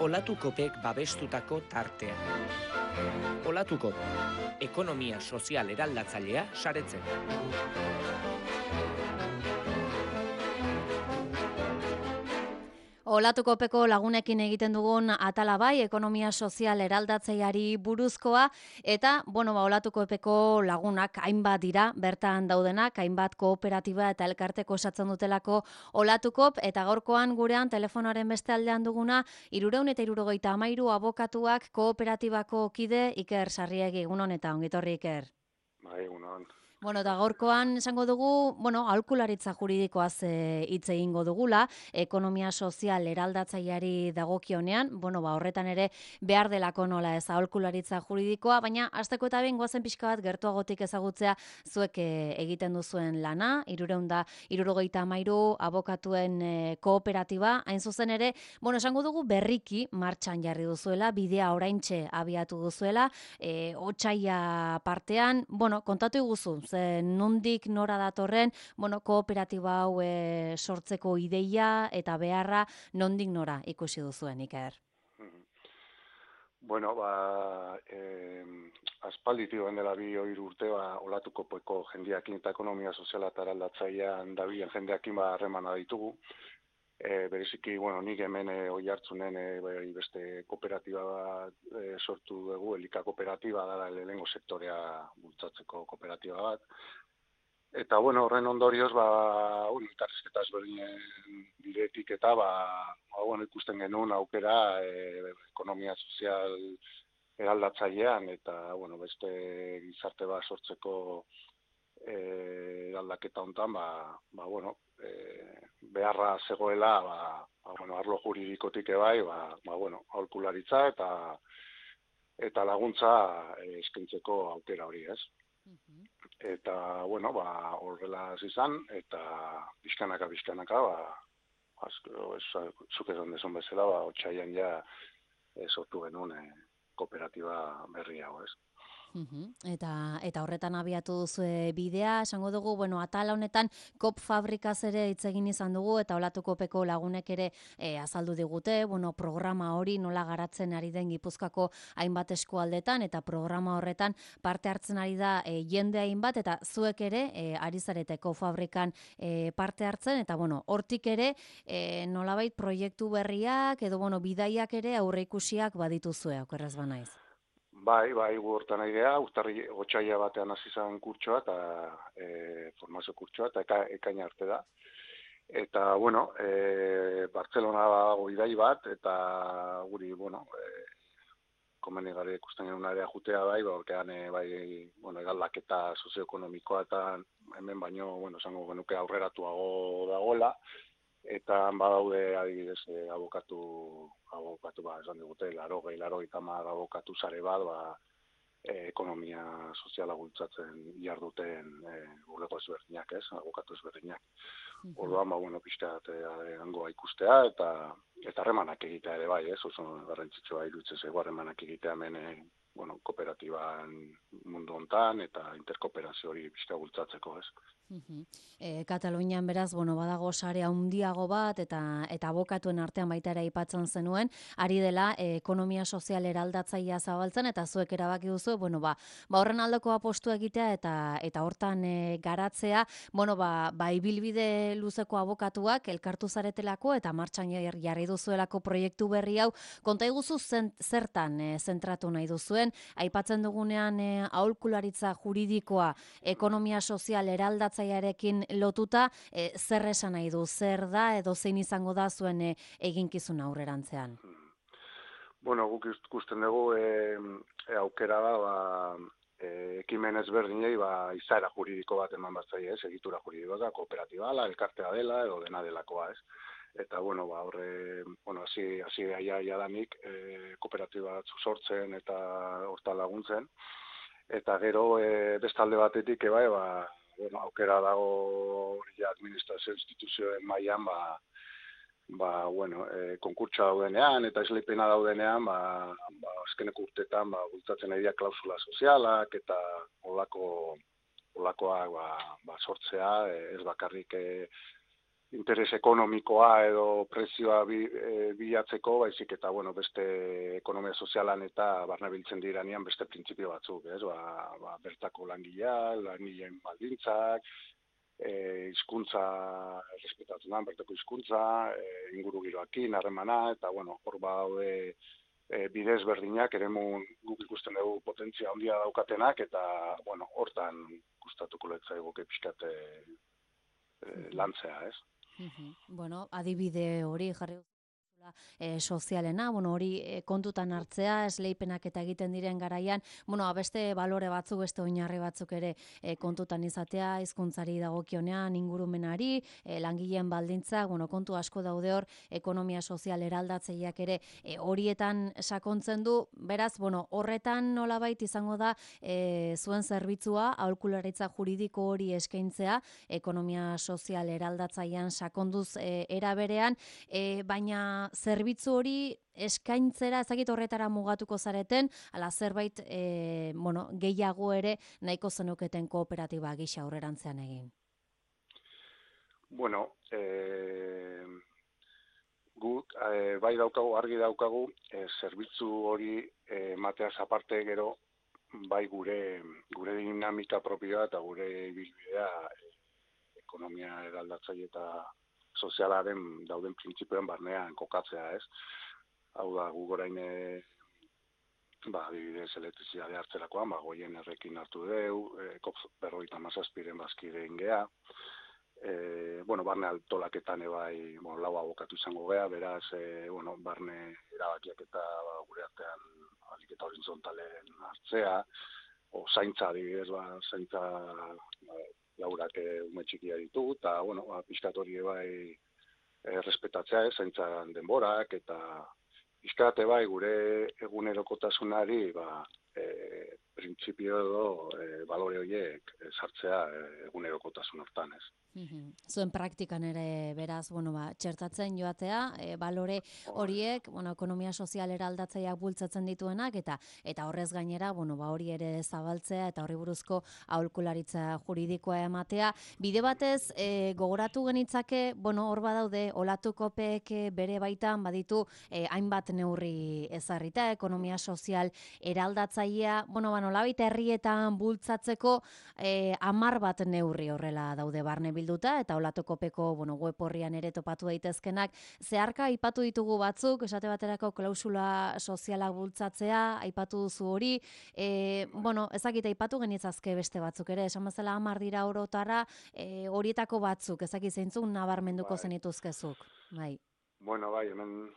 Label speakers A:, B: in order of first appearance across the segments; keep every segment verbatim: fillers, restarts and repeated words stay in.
A: Olatukopek babestutako tartea. Olatukop, ekonomia sozial eraldatzailea saretzen.
B: Olatukopeko lagunekin egiten dugun atala bai, ekonomia sozial eraldatzaileari buruzkoa, eta, bueno, ba, Olatukopeko lagunak hainbat dira, bertan daudenak, hainbat kooperatiba eta elkarteko osatzen dutelako Olatukop, eta gaurkoan gurean telefonoaren beste aldean duguna, hirurehun eta hirurogeita hamairu abokatuak kooperatibako kide Iker Sarriegi, egunon eta ongitorri Iker.
C: Bai, egunon.
B: Bueno, eta gaurkoan esango dugu, bueno, aholkularitza juridikoaz hitz egingo dugula, ekonomia sozial eraldatzaileari dagokionean, bueno, ba, horretan ere behar delako nola ez aholkularitza juridikoa, baina hasteko eta behin goazen pixka bat gertuagotik ezagutzea zuek e, egiten duzuen lana, hirurehun eta hirurogeita hamairu abokatuen e, kooperatiba, hain zuzen ere, bueno, esango dugu berriki martxan jarri duzuela, bidea oraintxe abiatu duzuela, e, otsaila partean, bueno, kontatu iguzu, ze nondik nora datorren, bueno, kooperatiba hau e, sortzeko ideia eta beharra nondik nora ikusi duzuen, Iker?
C: Bueno, ba, eh, aspalditik dela bi hiru urte, ba, Olatukopeko jendeakin eta ekonomia soziala eta eraldatzailean dabilen jendeakin ba harremana ditugu. E, bereziki, bueno, nik hemen e, Oiartzunen e, bai, beste kooperatiba bat e, sortu dugu, Elika kooperatiba da lehenengo sektorea bultzatzeko kooperatiba bat. Eta, bueno, horren ondorioz, ba, un, elkarrizketa ezberdinen bidetik eta, ba, ba, bueno, ikusten genuen aukera e, ekonomia sozial eraldatzailean eta, bueno, beste gizarte bat sortzeko e, eraldaketa hontan, ba, ba, bueno, e, beharra zegoela, ba, ba, bueno, arlo juridikotik ebai, ba, ba, bueno, aholkularitza eta eta laguntza e, eskaintzeko aukera hori, ez? Eta, bueno, ba, horrela izan, eta bizkanaka, bizkanaka, ba, zuk esan desun bezala, ba, otsailean ja e, sortu genuen e, kooperatiba berri hau, ez?
B: Uhum. Eta, eta horretan abiatu duzue bidea, esango dugu, bueno, atala honetan kop fabrikaz ere hitz egin izan dugu, eta Olatukopeko lagunek ere e, azaldu digute, bueno, programa hori nola garatzen ari den Gipuzkoako hainbat eskualdetan, eta programa horretan parte hartzen ari da e, jende hainbat, eta zuek ere e, ari zarete kop fabrikan e, parte hartzen, eta bueno, hortik ere e, nolabait proiektu berriak, edo bueno, bidaiak ere aurreikusiak badituzue, okerrez banaiz.
C: Bai, bai, gu hortan nahi geha, uztarri otsaila batean hasi zen kurtsoa eta e, formazio kurtsoa eta eka, ekaina arte da. Eta, bueno, e, Bartzelona dago idai bat, eta guri, bueno, e, komenigarri ikusten genuen area jutea bai, borkean, e, bai, bueno, egaldaketa sozioekonomikoa eta hemen baino, bueno, esango genuke aurreratuago dagoela, eta badaude adibidez e, abokatu abokatu ba esan digute larogei laurogeita hamar abokatu sare bat ba e, ekonomia soziala bultzatzen jarduten e, bulego ezberdinak, ez, abokatu ezberdinak. Orduan ba bueno, pixkat hangoa ikustea eta eta harremanak egitea ere bai, ez, oso garrantzitsua iruditzen zaigu harremanak egitea hemen e, bueno, kooperatiban mundu hontan eta interkooperazio hori pixka bultzatzeko, ez.
B: Uh-huh. E, Katalunian beraz, bueno, badago sare handiago bat eta eta abokatuen artean baita ere aipatzen zenuen, ari dela e, ekonomia sozial eraldatzailea zabaltzen eta zuek erabaki duzu, bueno, ba, ba horren aldeko apostu egitea eta eta hortan e, garatzea, bueno, ba, ba ibilbide luzeko abokatuak elkartu zaretelako eta martxan jarri duzuelako proiektu berri hau, konta iguzu zertan e, zentratu nahi duzuen, aipatzen dugunean e, aholkularitza juridikoa, ekonomia sozial eraldatzea zaiarekin lotuta, e, zer esan nahi du, zer da, edo zein izango da zuen e, eginkizun aurrerantzean?
C: Bueno, guk ikusten dugu e, e, aukera da, ba, e, ekimen ezberdinei ba, izaera juridiko bat eman bat zaie, ez, egitura juridikoa da, kooperatiba dela, elkartea dela, edo dena delakoa, ez. Eta, bueno, ba, horre, bueno, hasi, hasi aia, aia danik, e, kooperatiba sortzen eta horta laguntzen, eta gero, e, bestalde batetik, ebai, ba, bueno, aukera dago hori administrazio instituzioen mailan ba, ba, bueno, e, konkurtsa daudenean eta esleipena daudenean, ba, ba, azkeneko urtetan ba, bultzatzen ari dira klausula sozialak eta olako, olakoak ba, ba, sortzea, ez bakarrik e, interes ekonomikoa edo prezioa bi, e, bilatzeko, baizik eta, bueno, beste ekonomia sozialan eta barnabiltzen diranean beste printzipio batzuk, ez? Ba, ba, bertako langilea, langileen baldintzak, e, hizkuntza errespetatzen da, bertako hizkuntza, e, ingurugiroakin, harremana, eta, bueno, hor badaude e, bidez berdinak, eremu guk ikusten dugu potentzia handia daukatenak, eta, bueno, hortan gustatuko letzaigoke pixkate e, lantzea, ez?
B: Bueno, adibide hori jarri E, sozialena, bueno, hori e, kontutan hartzea, esleipenak eta egiten diren garaian, bueno, beste balore batzuk, beste oinarri batzuk ere e, kontutan izatea, hizkuntzari dagokionean, ingurumenari, e, langileen baldintzak, bueno, kontu asko daude hor, ekonomia sozial eraldatzeiak ere e, horietan sakontzen du, beraz, bueno, horretan nolabait izango da e, zuen zerbitzua, aholkularitza juridiko hori eskaintzea, ekonomia sozial eraldatzaian sakonduz e, era berean, e, baina zerbitzu hori eskaintzera ezagit horretara mugatuko zareten, ala zerbait e, bueno, gehiago ere nahiko zenuketen kooperatiba gisa aurrerantzean egin.
C: Bueno, eh, guk eh, bai daukagu, argi daukagu, eh, zerbitzu hori eh, mateaz aparte gero bai gure gure dinamika propioa eta gure ibilbidea eh, ekonomia eraldatzaile eta sozialaren dauden printzipioen barnean kokatzea, ez? Hau da, gu gorain, e, ba, adibidez, elektrizidade hartzerakoan, ba, goien errekin hartu deu, e, kop berroita mazazpiren bazkideen gea, e, bueno, barne altolaketan ebai, bueno, lau abokatu izango gea, beraz, e, bueno, barne erabakiak eta ba, gure artean aliketa horizontalen hartzea, o zaintza, adibidez, ba, zaintza, ba, laurak ume txikia ditugu, eta, bueno, ba, pixkat hori bai e, respetatzea, ez, zaintzan denborak, eta pixkat bai gure egunerokotasunari, ba, e, printzipio edo e, balore horiek e, sartzea e, egunerokotasun hortan, ez.
B: Zuen praktikan ere beraz, bueno, ba, txertatzen joatea, e, balore horiek, bueno, ekonomia sozial eraldatzaileak bultzatzen dituenak, eta eta horrez gainera, bueno, ba, hori ere zabaltzea, eta horri buruzko aholkularitza juridikoa ematea. Bide batez, e, gogoratu genitzake, bueno, hor badaude, Olatukopek bere baitan baditu e, hainbat neurri ezarrita, ekonomia sozial eraldatzailea, bueno, ba, nolabait herrietan bultzatzeko e, hamar bat neurri horrela daude barne bilduta, eta Olatukopeko, bueno, web horrian ere topatu daitezkenak. Zeharka aipatu ditugu batzuk, esate baterako klausula sozialak bultzatzea, aipatu duzu hori, e, bueno, ezakit aipatu genitzazke beste batzuk ere, esan bezala hamar dira orotara, e, horietako batzuk, ezakit zeintzuk nabarmenduko
C: bai.
B: zenituzkezuk. Bai.
C: Bueno, bai, hemen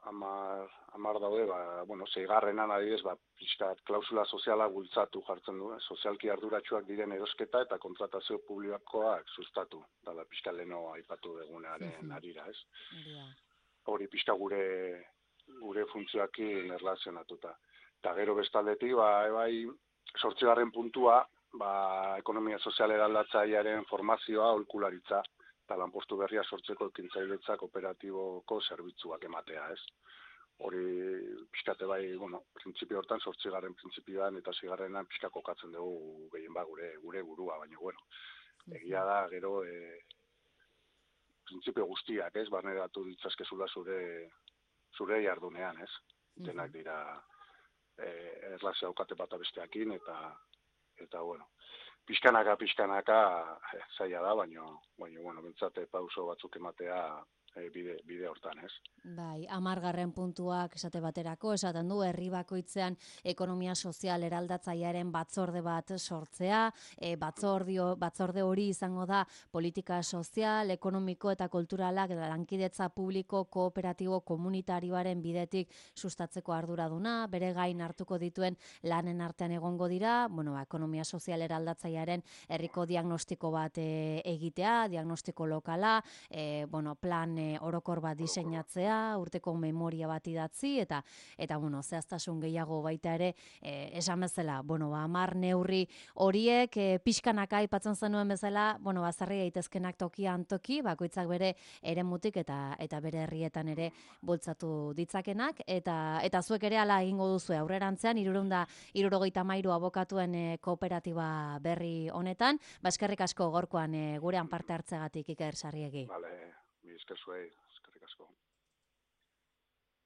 C: amar, amar daude, ba, bueno, zeigarrenan adibidez, ba, pixkat klausula soziala bultzatu jartzen du, eh? Sozialki arduratsuak diren erosketa eta kontratazio publikoak sustatu, dala pixka leno aipatu degunearen arira, ez?
B: Yeah.
C: Hori pixka gure gure funtzioakin erlazionatuta. Eta gero bestaldetik, ba, bai, sortzigarren puntua, ba, ekonomia sozial eraldatzailearen formazioa, aholkularitza, eta lanpostu berria sortzeko ekintzailetza kooperatiboko zerbitzuak ematea, ez? Hori pixkate bai, bueno, printzipio hortan, sortzigarren printzipioan eta zigarrenan pixka kokatzen dugu gehien ba gure, gure burua, baina, bueno, egia da, gero, e, printzipio guztiak, ez? Barneratu ditzazkezula zure, zure jardunean, ez? Denak dira e, erlazio daukate bata besteakin, eta, eta, bueno, pixkanaka, pixkanaka, eh, zaila da, baina, baina, bueno, bentsate pauso batzuk ematea e, bide, bide hortan, ez?
B: Bai, hamargarren puntuak esate baterako, esaten du, herri bakoitzean ekonomia sozial eraldatzailearen batzorde bat sortzea, e, batzordio, batzorde hori izango da politika sozial, ekonomiko eta kulturalak lankidetza publiko, kooperatibo, komunitarioaren bidetik sustatzeko arduraduna, bere gain hartuko dituen lanen artean egongo dira, bueno, ba, ekonomia sozial eraldatzailearen herriko diagnostiko bat e, egitea, diagnostiko lokala, e, bueno, plan e, orokor bat diseinatzea, urteko memoria bat idatzi, eta, eta bueno, zehaztasun gehiago baita ere, e, esan bezala, bueno, ba, hamar neurri horiek, e, pixkanaka aipatzen zenuen bezala, bueno, bazarri daitezkenak tokian toki, bakoitzak bere eremutik eta eta bere herrietan ere bultzatu ditzakenak, eta eta zuek ere hala egingo duzu aurrerantzean, hirurehun eta hirurogeita hamairu abokatuen e, kooperatiba berri honetan, ba eskerrik asko gorkoan e, gurean parte hartzegatik Iker Sarriegi.
C: Vale. zuei.